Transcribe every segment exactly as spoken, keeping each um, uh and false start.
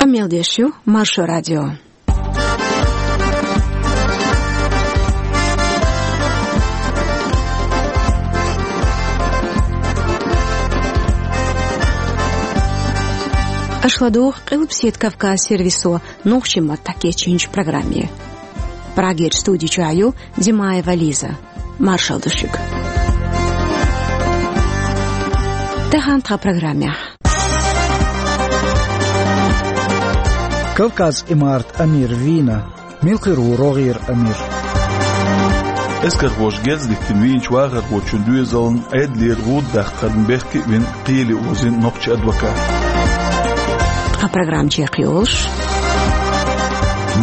Мел деш ю Маршо радио. Аш ладугӀу Къилбаседа Кавказ сервисо нохчийн маттахь кечйинчу программе. Прагерчу студи чохь ю Димаева Лиза. Маршалла ду шуьга. Тахана тхан программехь. Кавказ имарат амир вийна. Мила хир ву рогӀера амир? Эскархоша герз диттина вийначу вахархочун доьзална Ӏедалера гӀуда даккхарна бехке а вина, кхеле озийна нохчийн адвокат. Тхан программа чекхйолуш.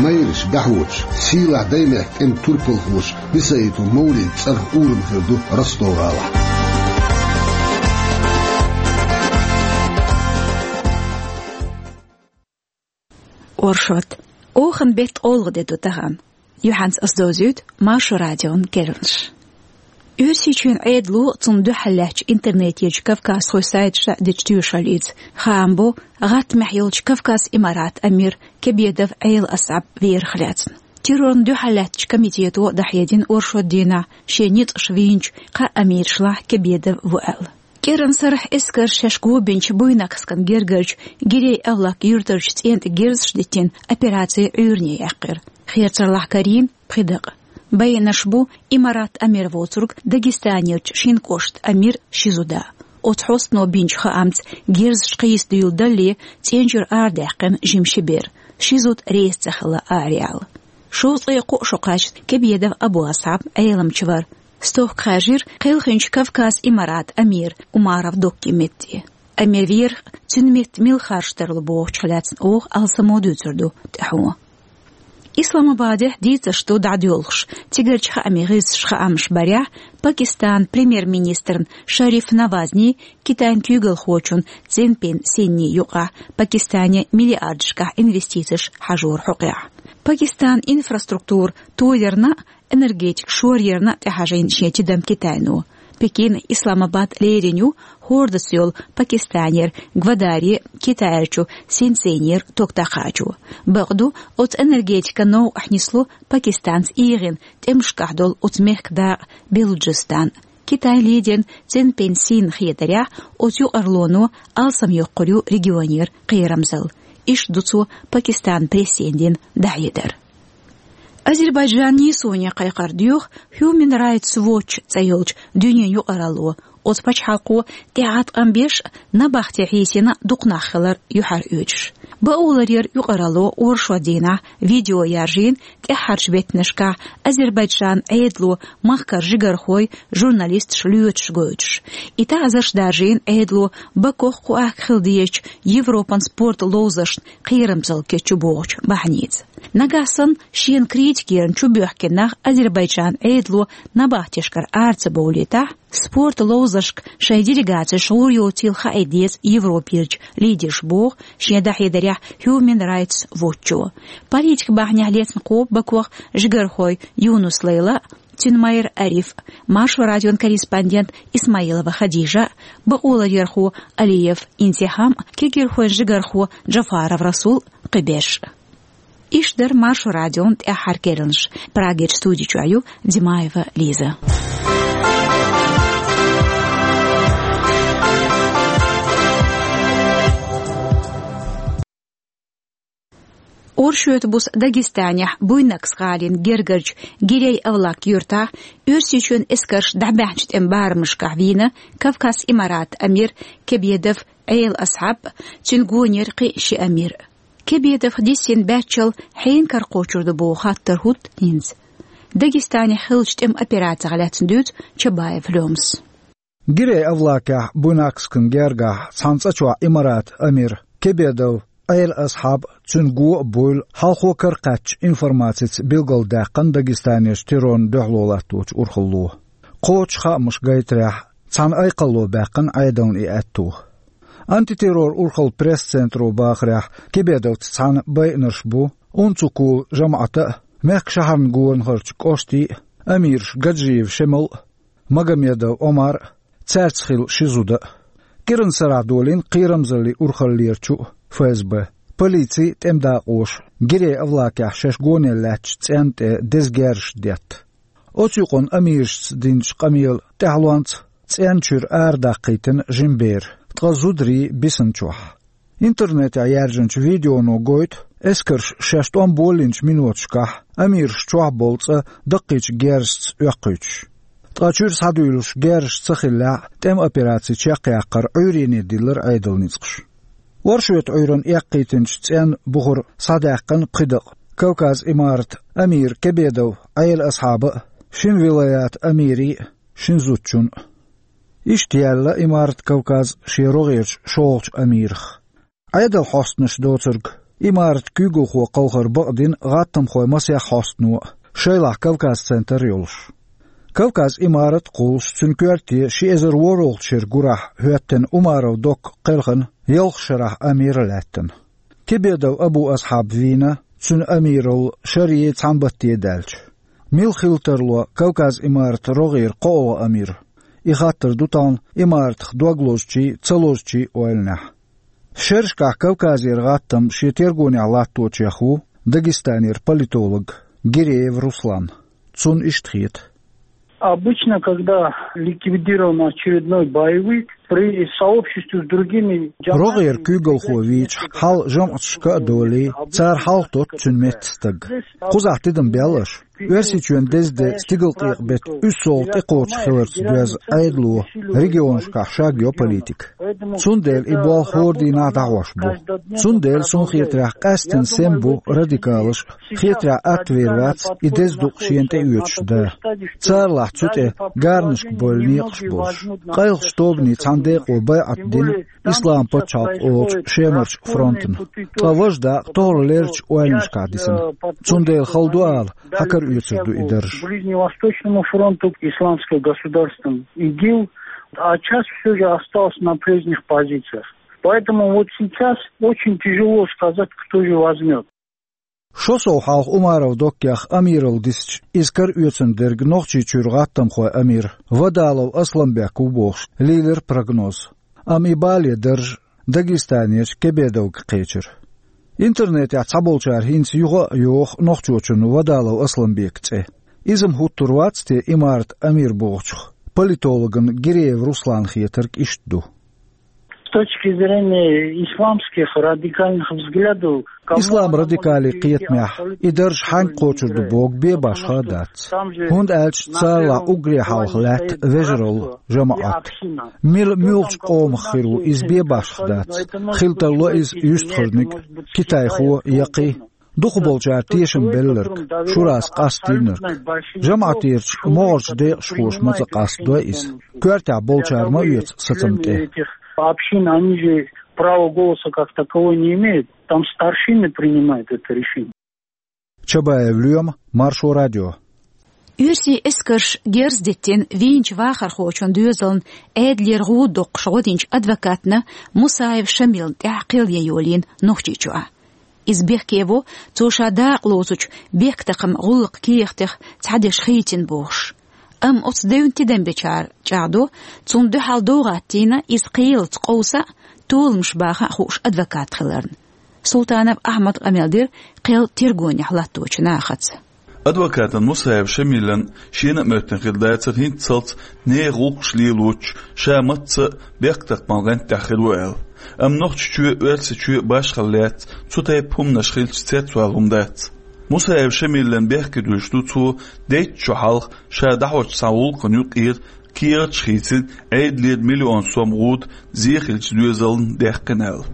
Майраш дӀахьочуш, сийлахь даймехкан тӀеман турпалхоша Бисаитов Мовлидан цӀарах урам хир ду Ростов-гӀалахь. Оршот. Оханан беттан олха де ду тахана. Юьхьанца ас довзуьйту Маршо радион керланаш. Оьрсийчоьнан Ӏедало, цунна дуьхьал лаьттачу интернетерчу кавказхойн сайташа дечу тоьшаллица, хаам бо гӀаттамехь йолчу Кавказ имарат амир Кебедов Ӏела Асхьаб верах лаьцна. Террорна дуьхьал лаьттачу комитето дӀахьедина оршот дийнахь шен ницкъаша вийначу кхаа амирашлахь Кебедов ву аьлла. КӀиранан сарахь эскарша шаьш го бинчу Буйнакскан гергарчу Гирей-Авлак юьртарчу цӀен тӀе герзаш диттина операци Ӏуьйранна яьккхира. Херцарлахь карийна пхи дакъа. Байинарш бу имарат амир воцург Дагестанерчу шина кӀоштан амир Шизуда. Оцу хьостано бинчу хаамца, герзаш кхийса дуьйладалле, цӀен чуьра арадаьккхина жима ши бер. Шизуд реза ца хилла араяьлла. Шовзткъе кхо шо кхаьчна Кебедов Абу-Асхьаб Ӏеламчу вара. Стохка хаьржира кхелхинчу Кавказ имарат амир Умаров Доккин метте. Амир верах, цуьнан метта мила харж тарло бохучух лаьцна оха алсамо дуьйцур ду тӀаьхьо. Исламабадехь дийцарш ду дӀадоьлхуш, цигарчу хаамийн гӀирсаша хаамаш барехь, Пакистанан премьер-министрна Шариф Навазни, Китайн куьйгалхочун Цзиньпин Синни юкъахь Пакистане миллиардашкахь инвестицеш хьажоран хьокъехь. Пакистанан инфраструктура тоярна а, энергетика шоръярна а тӀехьажийна шен тидам Китайно. Пекин Исламабад лерина ю хӀордаца йолу Пакистанера Гвадари, Китайрчу Синьцзинера ток дӀакхачо. Бакъду, оцу энергетикан новкъахь нисло Пакистанца эгӀина тӀемашкахь долу оцу мехкан дакъа Белуджистан. Китайн лидерна Цзиньпин Синна хетарехь, оцу юкъарлоно алсамйоккхур ю регионера кхерамзалла. Иштта ду цо Пакистанан прессина дина дӀахьедар. Азербайджанан нийсоне кхайкхар доьху Human Rights Watch цӀе йолчу дуьненан юкъаралло, оцу пачхьалкхо тӀеӀаткъам беш а, набахте хьийсина дукха нах хилар юьхьароьцуш. Бакъоларъяран юкъаралло оршот дийнахь видео яржийна тӀаьххьарчу беттанашкахь Азербайджанан Ӏедало махкара жигархой, журналисташ лоьцуш гойтуш. И таӀзарш даржийна Ӏедало Бакох кху ахка хила дезачу Европан спорт ловзаршна кхерамзалла кечйо бохучу бахьаница. Нагахь санна шена критика ярна чубоьхкина нах Азербайджанан Ӏедало набахтешкара ара ца бовлийтахь, спорт ловзаршка шайн делегацеш гӀур йоцийла хаийта деза Европерчу лидерша боху шен дӀахьедарехь Human Rights Watch-о. Политикан бахьанехь лецна кхобу Бакох жигархой Юнус Лейла, цуьнан майра Ариф, Маршо радион корреспондент Исмаилова Хадижа, бакъоларъярхо Алиев Интихам, кегирхойн жигархо Джафаров Расул, кхиберш. Иштта дара Маршо радион тӀаьххьара керланаш. Прагерчу студи чохь ю Димаева Лиза. Оршотан буса Дагестанехь Буйнакск гӀалин гергарчу Гирей-Авлак юьртахь Оьрсийчоьнан эскарша дӀабаьхначу тӀеман барамашкахь вийна Кавказ имарат амир Кебедов Ӏела Асхьаб, цуьнан гонера кхин ши амир. Кебедов диссина баьччалла хьенан кара кхочур ду боху хаттар хӀутту хӀинца. Дагестанехь хиллачу тӀеман операцех лаьцна дуьйцу Чабаев Лёмас. Гирей-Авлакехь Буйнакскан гергахь цхьана цӀа чохь имарат амир Кебедов Ӏела Асхьаб, цуьнан го а, буйла хьалхо каракхаьчначу информацица билгалдаьккхина Дагестанерчу террорна дуьхьало латточу урхалло. Кхочуш хаамаш гайтарехь, цхьана айкхалло баьккхина Ӏедална и аьтто. Антитеррор урхаллан пресс-центро бахарехь, Кебедовца цхьаьна байинарш бу УНЦУКУЛ жамаӀатан а, мехкан шахьарна гонахарчу кӀоштийн а амираш Гаджиев Шемал а, Магомедов Омар а, цаьрца хилла ши зуда а. КӀиранан сарахь долийна кхерамзаллин урхаллерчу а, ФСБ. полици а, тӀеман дакъоша а гирей авлакехь шаьш гонел лаьттачу цӀенна тӀе деза герзаш детта. Оцу юкъанна амирашца динчу къамелан тӀаьхьалонца цӀенна чуьра арадаккхийтина жима бер, ткъа зударий бисина чохь. Интернетехь яьржинчу видеоно гойту эскарша шаьш тӀом болийначу миноташкахь амираш чохь болу цӀа даккхийчу герзашца оьккхуьйтуш. Ткъа чуьра схьадуьйлуш герзаш ца хиллехь а, тӀеман операци чекхъяккхар Ӏуьйренна диллира Ӏедалан ницкъаша. Оршотан Ӏуьйранна эккхийтинчу цӀенна бухара схьадаьккхина пхи дакъа Кавказ имарат амира Кебедов Ӏела Асхьаба а, шина вилаятан амирий а, шина зудчун а. Иштта яьлла имарат Кавказ шен рогӀерчу шолгӀачу амирах. Ӏедалан хьостанаш доцург, имарат куьйгалхо кхалхар бакъдина гӀаттамхойн масех хьостано а, шайлахь Кавказ-центр йолуш. Кавказ имарат а кхуллуш, цуьнан коьрте ши эзар ворхӀалгӀачу шеран гурахь хӀоьттина Умаров Докка кхелхина ялх шарахь амир а лаьттина. Кебедов Абу Асхьаб вийна, цуьнан амиралла шаре цхьана батте даьлча. Мила хила тарло Кавказ имарат рогӀера кхоалгӀа амир? И хаттар ду тахана имаратах дог лозучийн а, ца лозучийн а ойланехь. Шерашкахь Кавказера гӀаттам шен тергонехь латточех ву Дагестанера политолог Гиреев Руслан. Цунна иштта хета. Обычно, когда ликвидирован очередной боевик, при сообществе с другими РогӀера куьйгалхо вийча, хьал жамӀаташка а долий, цара хьалхатотту цуьнан метта стаг. Кхузахь тидам бел аша. Оьрсийчоьнан деза де стигалкъекъа беттан уьссалгӀа тӀекхочуш хиларца доьзна Ӏедало регионашкахь шагйо политика. Цундела и болх хӀора дийнахь дӀахьош бу. Цундела, суна хетарехь, къаьсттина сема бу радикалаш а, хетарехь, атта вер вац и деза дукъ шена тӀеоьцуш да. Царалахь цу тӀе гарнашка бевлла некъаш болуш. Къайлахчу тобанийн цхьана декъо байӀат дина Ислам пачхьалкх олучу Шемарчу фронтана. Ткъа важа дакъа тохара лерричу ойланашкахь дисина. Цундела хала ду ала, хьан кара оьцур ду и дарж. Ближневосточному фронту, исламское государство ИГИЛ, а часть всё же осталась на прежних позициях. Поэтому вот сейчас очень тяжело сказать, кто же возьмёт. Шо сов хьалха Умаров Доккех амиралла дисча, иза кара оьцун дерг Нохчийчуьра гӀаттамхойн амир Вадалов Асламбек ву бохуш, лийлира прогноз. Амма и бале дарж Дагестанерчу Кебедовга кхечира. Интернетехь цхьаболчара хӀинца юха а йоху нохчочунна Вадалов Асламбекан цӀе. Иза-м хӀуттур вац те имарат амир бохучух, политологна Гиреев Руслана хетарг иштта ду. С точки зрения исламских радикальных взглядов, кому... Ислам радикалан кхетамехь и дарж хьаьнга кхочур ду боху бен башха а дац. ХӀунда аьлча царалахь уггаре хьалха лаьтта вежаралла, жамаӀат. Мила муьлхачу къомах хир ву, иза бен башха дац. Хила тарло иза юьстахарниг а, китайхо я кхин а. Дукхахболчара тешам белларг, шурас къастийнарг. ЖамаӀатерчу могӀарчу декъашхоша ма ца къастадой иза. Коьртехь болчара ма оьцу сацам тӀе. Общины, они же права голоса как таковой не имеют. Там старшины принимают это решение. Чабаев Лоьма, Маршо радио. Оьрсийн эскарша герз диттина вийначу вахархочун доьзална Ӏедалера гӀуда доккхуш гӀо динчу адвокатна Мусаев Шамилна тӀехь кхел ян йолийна Нохчийчохь. Иза бехке во, цо ша дакъалоцучу бехктакхаман гӀуллакхан кехатех цхьадерш хийцина бохуш. Амма оцу девнан тидам бечара чӀагӀдо, цунна дуьхьал довгӀаттийна иза кхелаца къовса а, толамаш баха а хууш адвокат хиларна. Султанов Ахьмада къамел дира кхел тергонехь латточу нахаца. Адвокатан Мусаев Шамилан шена а моьттина хир дацара хӀинццалц нехан гӀуллакхаш лелочуш, ша мацца а бехктакхаман гӀант тӀехь хир ву аьлла. Амма Нохчийчоь а, Оьрсийчоь а башхалла лаьцна цу тайпа хӀуманаш хилча цецвала хӀума дац. Мусаев Шамилан бехке дуьллуш ду цо дейтта шо хьалха ша дӀахьочу цхьана гӀуллакхана юкъера кехаташ хийцина Ӏедалера миллион сом гӀуда зе хиллачу доьзална даьккхина аьлла.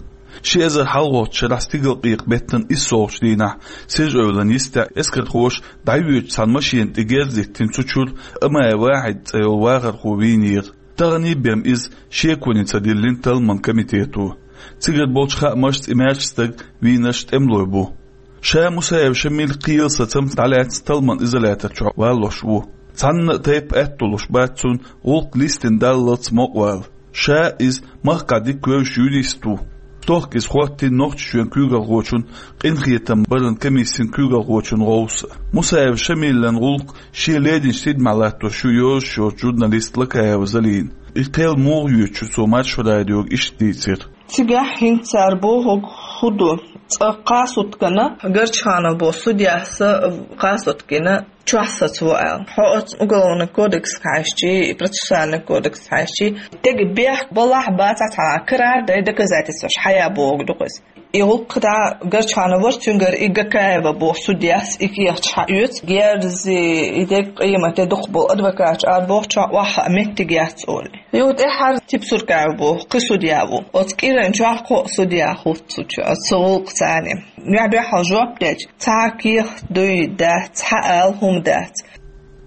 Ши эзар хьалхарчу шарахь стигалкъекъа беттан иссалгӀачу дийнахь Сежа-Эвлан йистехь эскархоша дӀайоьдучу цхьана машена тӀе герз диттина цу чуьра Амаев Вахьид цӀе йолу вахархо вийнера. Таханлерчу бен иза шеконе ца диллина талламан комитето. Цигара болчу хаамашца и маьрша стаг вийнарш тӀемалой бу. Ша Мусаев Шамил кхелан сацамца дӀалаьцна талламан изолятор чохь валлалуш ву. Цхьанна а тайпа аьтто луш бац цунна гӀуллакх листина даллалц мукъавала. Ша иза махкахь дика вевзаш юрист ву. Стохка иза хӀоттийна Нохчийчоьнан куьйгалхочун, къинхетам баран комиссин куьйгалхочун гӀовса. Мусаев Шамилан гӀуллакх шен леринчу тидамехь латтош ю йозуш йоцу журналист Лакаева Залина. И кхел муха йоьду цо Маршо радиога иштта дийцира. Цигахь хӀинца цара бохург хӀун ду? Цкъа кхаа суткана Горчханов боху судьяс кхаа суткана чохь сацаво аьлла. Хьо оцу Уголовный кодекс хьаьжча, и Процессуальный кодекс хьаьжча, тега бехк балахь бацахь цхьа карара дай доказательстваш хьая боху ду-кх иза. И гӀуллакх дӀа Горчханов вара, цуьнгара и Гакаева боху судьяс и кехаташ хьаоьцу, герзаца и дега къематде дукхахболу адвокаташ ара бохучохь охьахаа меттиг яц олий. Юха тӀаьххьара Типсуркаев боху кхин судья ву. Оцу кӀиран чохь кхо а судья хӀутту цу чу-, оцу гӀуллакхаца. Юьхь-дуьхьал жоп дечу, цхьа а кехат дуй дац, цхьа а ала хӀума дац.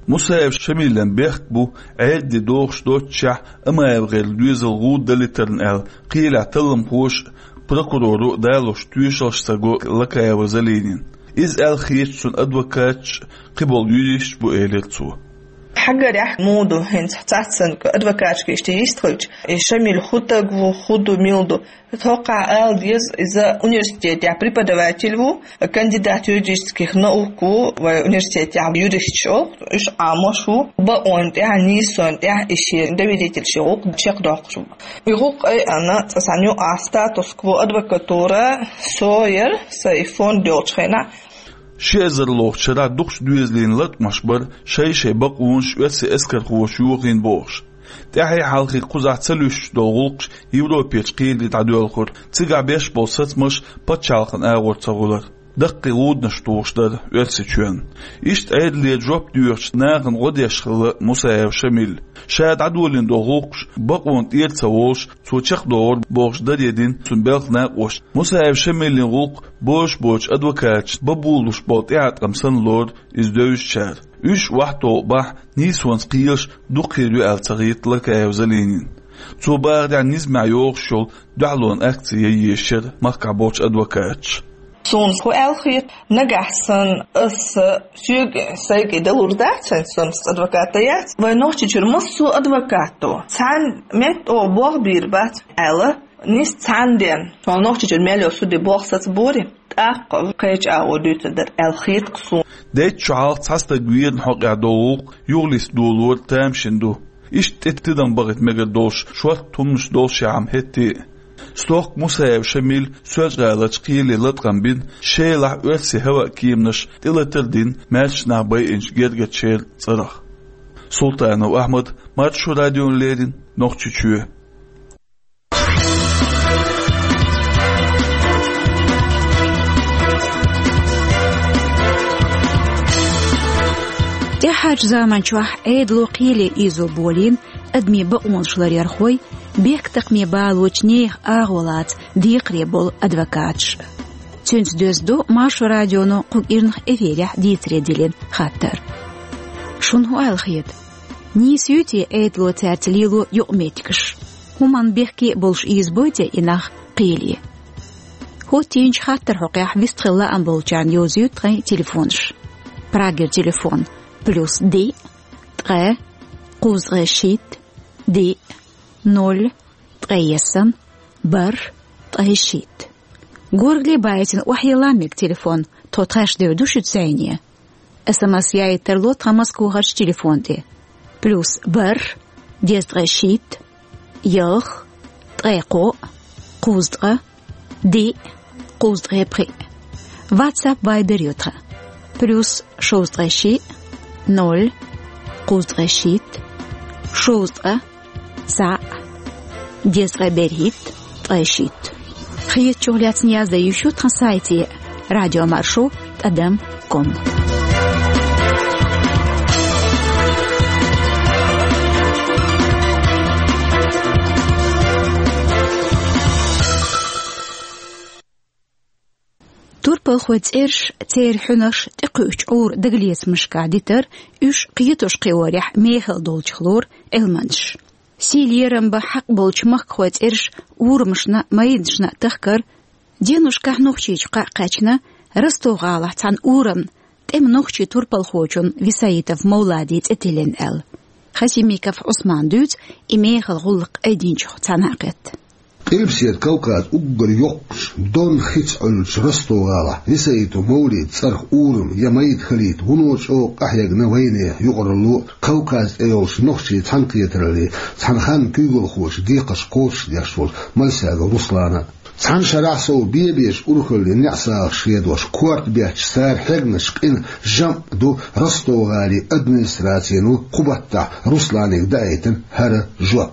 Мусаев Шамилан бехк бу, Ӏедале догӀуш доццушехь, Амаев-гӀеран доьзал гӀуда далийтарна аьлла, кхелехь талламхоша а, прокуроро а далош тоьшаллаш ца го Лакаева Залинина. Иза аьлла хеташ цуьнан адвокаташ а, кхиболу юристаш а бу, элира цо. Хьагарехь, муха ду, хӀинца цхьаццанга адвокаташка иштта йистхилча, и Шамил хӀун стаг ву, хӀун ду, мила ду, тхокхахь ала деза, иза университетехь преподаватель ву, кандидат юридических наук ву, вайн университетехь юристаш олу, уьш Ӏамош ву, бакъонан тӀехь, нийсонан тӀехь и шен доверительский гӀуллакх чекхдоккхуш ву. И гӀуллакх айъина цкъа цхьана юкъахь статус-кво адвокатура со яра, сан и фонд йолчу хенахь. Ши эзарлгӀачу шарахь дукхачу доьзалийн латкъамаш бара шай-шай бакъонаш оьрсийн эскархоша йохийна бохуш. ТӀаьхье-хьалхе кхузахь ца луьстуш долу гӀуллакхаш Европерчу кхеле дӀадоьлхура, цигахь беш болу сацамаш пачхьалкхан агӀор ца гӀуьллура. Даккхий гӀуданаш тухуш дара Оьрсийчоьнна. Иштта Ӏедале жоп доьхучу нахана гӀо деш хилла Мусаев Шамил. Ша дӀадолийна долу гӀуллакхаш бакъонан тӀера ца волуш, цо чекхдохура бохуш даре дина цуьнан белхан накъосташа. Мусаев Шамилан гӀуллакх бозуш боцчу адвокаташна бан болалуш болу тӀеӀаткъам санна лору иза девзачара. Уьш охьатаӀо бахь, нийсонца кхелаш дукха хир ю аьлла ца хета Лакаева Залинина. Цо бахарехь, низамехь йогӀуш йолу дуьхьалонан акци ян езаш яра махкахь болчу адвокаташа. Суна хӀун аьлла хета, нагахь санна аса соьга сайга далур дац, хӀинца суна адвокат дан яц. Вайн Нохчийчуьра массо а адвокато цхьана метта оха болх бийр бац аьлла, нийса цхьана ден, сан Нохчийчуьра мел йолу суде болх сацабора, тӀаккха кхечу агӀор дуьйцур дара аьлла хета-кх суна. Дейтта шо хьалха цхьа стаг верна хьокъехь долу гӀуллакх юхалиста долор тамашийна ду. Иштта тӀе тидам бахийта мегар долуш шортта хӀуманаш долушехь-м хӀетте а. Стохка Мусаев Шамил Соьлжа-ГӀаларчу кхеле латкъам бина, Шелахь оьрсийн хӀаваан кеманаша тӀелатар а дина, маьрша нах байинчу гергарчеран цӀарах. Султанов Ахьмад, Маршо радиона леррина, Нохчийчоь. ТӀаьххьарчу заманчохь Ӏедало кхеле ийзо болийна адамийн бакъонаш ларъярхой, бехктакхаме балочу нехан агӀо лаца декхаре болу адвокаташ. Цуьнца доьзна ду Маршо радионо кху кӀирнах эфирехь дийцаре диллина хаттар. Шуна хӀун аьлла хета? Нийса юй те Ӏедало цаьрца лело юкъаметтигаш? ХӀуманна бехке а болуш ийзабой те и нах кхеле? ХӀоттийначу хаттаран хьокъехь вистхила лаам болчарна йовзуьйту тхайн телефонаш. Прагера телефон: плюс диъ, ткъе, кхузткъе шийтта, диъ, ноль, ткъе ялх, бархӀ, ткъе шийтта. Горгали байтина охьайилла мега телефон, тхо тхаьш девр ду шуьца зӀене. СМС яийта тарло тхан Москвахарчу телефон тӀе: плюс бархӀ, дезткъе шийтта, ялх, ткъе кхоъ, кхузткъа, диъ, кхузткъе пхиъ. WhatsApp, Viber ю тхан: плюс шовзткъе шиъ, ноль, кхузткъе шийтта, шовзткъа, цхьаъ, дезткъе берхӀитта, ткъе шийтта. Хетачух лаьцна яздан йиш ю тхан сайте: радиомаршо тӀадам ком. Турпалхойн цӀераш, церан хьуьнарш тӀекхуьучу Ӏуьйран дагалецамашкахь дитар, уьш кхетош-кхиорехь мехала долчух лору Ӏилманчаш. Сий-лерам бан хьакъ болчу махкахойн цӀераш урамашна а, майданашна а тахкар, деношкахь Нохчийчу кхаъ кхаьчна, Ростов-гӀалахь цхьана урамна тӀеман нохчийн турпалхочун Висаитов Мовладин цӀе тиллина аьлла. Хасимиков Ӏусмана дуьйцу и мехала гӀуллакх айдинчух цхьана а кхетта. Къилбаседа Кавказ уггар йоккхачу Дон хица Ӏуьллучу Ростов-гӀалахь Висаитов Мовладин цӀарах урам я майда хилийта вуно чӀогӀа къахьегна вайнехан юкъаралло а, Кавказ тӀе йолчу нохчийн цхьаьнакхетараллин цхьана ханна куьйгалхочун декхарш кхочушдеш волчу Малсагов Руслана а. Цхьана шарахь сов бе-беш урхаллин неӀсагӀаш хедош, корта бетташ цара хьегначу къина жамӀ ду Ростов-гӀалин администрацино кху баттахь Русланга даийтина хӀара жоп.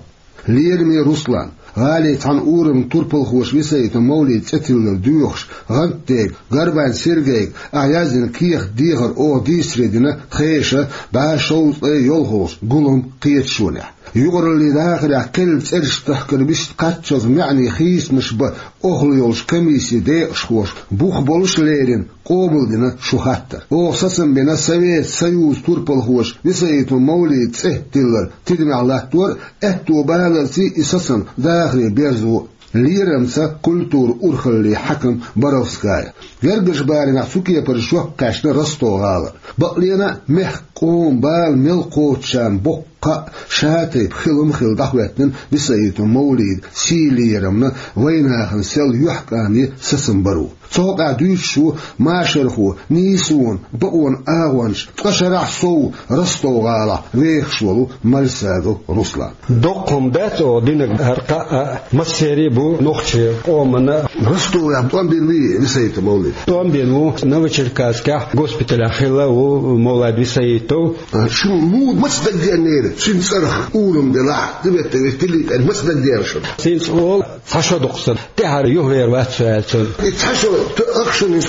Лераме Руслан, гӀалин цхьана ураман турпалхоша Висаитов Мовлида цӀе тиллар доьхуш, гӀантдега Горбань Сергейга ахь яздина кехат-дехар оха дийцаре дина тхешан бӀе шовзткъе йолхалгӀачу гулламан кхеташонехь. Юкъараллин дахарехь кхелла цӀераш тахкар вист кхаччалц маьӀне хийцамаш бан охьла йолчу комиссин декъашхоша бух болуш лерина къобалдина шун хаттар. Оха сацам бина Совет Союзан турпалхоша Висаитов Мовлида цӀе тиллар тидамехь латтор а, аьтто баларций и сацам дахаре берзо а. Лерамца культуран урхаллин хьаькам Боровская. Гергарчу барамехь цу кепара жоп кхаьчна Ростов-гӀалара. Бакъдолуш а, мехкан, къоман бала мел кхочушарна боккха кхаъ, шатайпа хилам хилла дӀахӀоьттина Висаитов Мовлидан сий лерамна, вайнахана сел юьхькӀаме сацам баро. Цу хьокъехь дуьйцуш ву машархо, нийсонан, бакъонан агӀончаш, ткъа шарахь сов Ростов-гӀалахь вехаш волу Мальсагов Руслан. Доккха хӀума дац оха динарг, хӀара кхаъ а, массеран а бу нохчийн къомана. Ростовехь тӀом бина вуй Висаитов Мовлид? ТӀом бина ву, Новочеркасскехь госпиталехь хилла а ву Мовлид Висаитов. А, шуна муха, маца дагадеанера, цуьнан цӀарах урам делахь, Тибетан вист тиллина аьлла, маца дагадеана шуна? Цуьнца олу цхьа шо дукха сан, тӀаьхьара юхавер вац со аьлла цунна. И цхьа шо тоьуш шуна,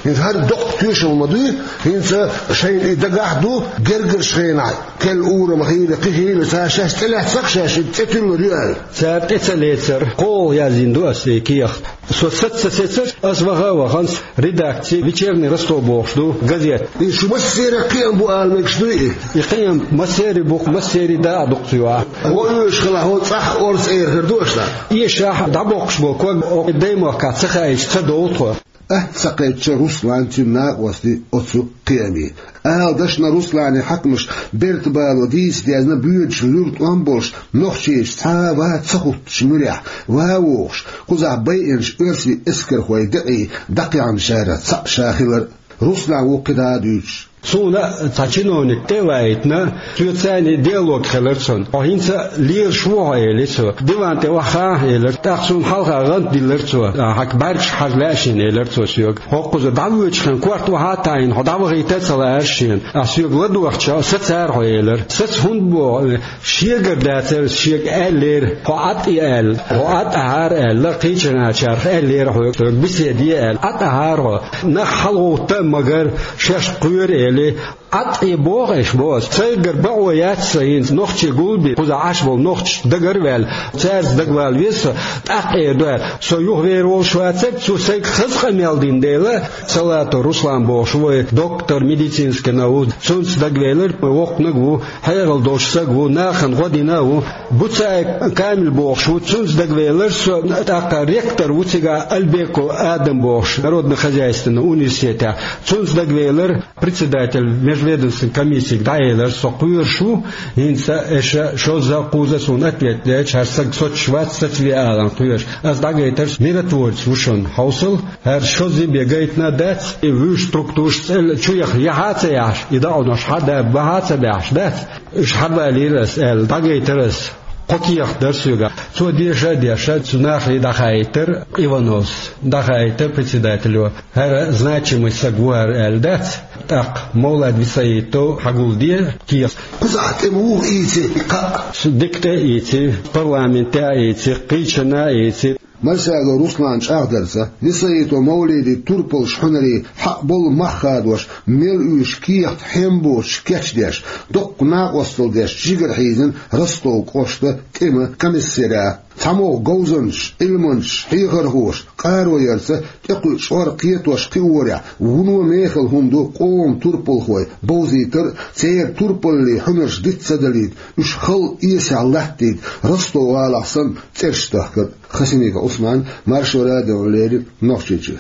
хӀинца хӀара доккха тоьшалла ма дуй, хӀинца шайна и дагахь а ду, гергарчу хенахь, керла урам хилла, кхин хилла, цара шаьш тӀелаьцна-кх, шаьш и цӀе туьллур ю аьлла. Цара тӀе ца лецара, кхоалгӀа яздина ду аса и кехат. Со саца ца сецара, аса ваха а вахана, редакци «Вечерний Ростов» бохуш ду газета. И шу массеран а кхиам бу ала мегаш дуй и? И кхиам массеран а бу-кх, массеран а дакъа ду-кх цу юкъахь. Вон оьшуш хилахь, хӀо цӀахь орца эр хир ду аша? Эшахь дӀабоккхуш болу ког оха даймахкахь ца хаийтича ца довлу тхо. Атта ца кхаьчна Руслан, цуьнан накъостий оцу кхиаме. Ала дашна, Русланан хьаькамаша берта бало дийца дезна, боьдуш луьра тӀом болуш, нохчочуьнца цхьа а ван ца хуттуш муьрехь, ван вогӀуш, кхузахь байинчу оьрсийн эскархойн декъий дӀакхехьначарах цхьаъ ша хилар а. Руслан ву кхин дӀа а дуьйцуш. Суна цхьа чиновник тӀе а ваийтина, соьца цхьаьна диалог хилира цуьнан. «Хьо хӀинца а лелаш ву хьо», — элира цо. «Диван тӀе охьахаа», — элира. ТӀаккха суна хьалха гӀант диллира цо. «Хьан бӀаьргаш хьажа лаьа шена», — элира цо соьга. «ХӀокхуза дӀавоьдучу хенахь корта охьа а таӀийна, хьо дӀавахийта а ца лаьара шена. Ахь соьга ладогӀучу сацара хьо», — элира. «Саца хӀунда боху? Шегара дацара, шега аьллера, хьо ӀатӀе аьлла, хьо ӀатӀахьара аьлла, кхечанхьара аьллера хьоьга, соьга беседа е аьлла. ӀатӀахьара хьо. Нах хьалагӀовтта а магара, шаьш кхоьру», — элира. ӀатӀе боху аша, боху ас. Сайгара бакъо яц сан хӀинца нохчий гулбе, кхузахь Ӏаш болу нохчаш дагара а ваьлла, цаьрца дагавала веза со, тӀаккха эр ду аьлла. Со юхавер волуш вацара, цо сайга хаза къамел дина дела, Салатов Руслан бохуш ву, вай доктор медицинских наук, цунца дагавелира, воккханиг ву, хьекъал долуш саг ву, нахана гӀо дина а ву. Буцаев Камил бохуш ву, цунца дагавелира со, тӀаккха ректор ву цигахь Альбеков Адам бохуш, народно-хозяйственный университетехь, цунца дагавелира. Председатель межведомственной комиссига дӀаэлира, со кхоьруш ву, хӀинца аша шозза а, кхузза а суна ответ дечу, хӀара саг соцуш вац, сацаве аларна кхоьруш. Ас дӀагайтарш миротворец ву шуна хьовсал, хӀара шозза бен гайтина а дац, и вуьш структураш цӀе чу яха яхьа а ца яхьаш, и дакъонош хьадаба бахьа а ца баьхьаш дац. Уьш хьабалийра ас аьлла, дӀагайтара ас. Кхо кехат дара соьгахь. Цо деша а дешна, цу нахе дӀахаийтара Ивановс, дӀахаийтара председателё. ХӀара значимый саг ву хӀара аьлла дац. ТӀаккха Мовлад Висаитов хьагулде кехат. Кхузахь тӀе муха ийци и кхаъ? Дика тӀе а ийци, парламенте а ийци, кхечанхьа а ийци. Мальсагов Русланан чӀагӀдарца, Висаитов Мовлидан турпалш хьуьнарий хьакъ болу мах хадош, мел уьш кехат хьем боцуш кечдеш, доккха накъосталла деш жигара хьийзина Ростов кӀоштан тӀеман комиссариат. ЦхьамогӀа говзанчаш, Ӏилманчаш, хьехархоша къаро ярца тӀекхуьучу чкъор кхетош кхиорехь, вуно мехала хӀума ду къоман турпалхой бовзийтар а, церан турпаллин хьуьнарш диц ца далийта, уьш халла эсехь латтийта, Ростов-гӀалахь санна цӀераш тахкар а. Хасимиков Ӏусман, Маршо радиона леррина, Нохчийчуьра.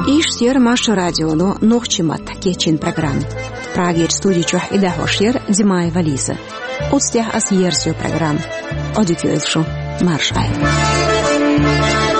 Иштта яра Маршо радионо нохчийн маттахь кечйина программа. Прагерчу студи чохь и дӀахьош яра Димаева Лиза. Оцу тӀехь ас ерзайо программа. Ӏодика йойла шун. Марша Ӏайла.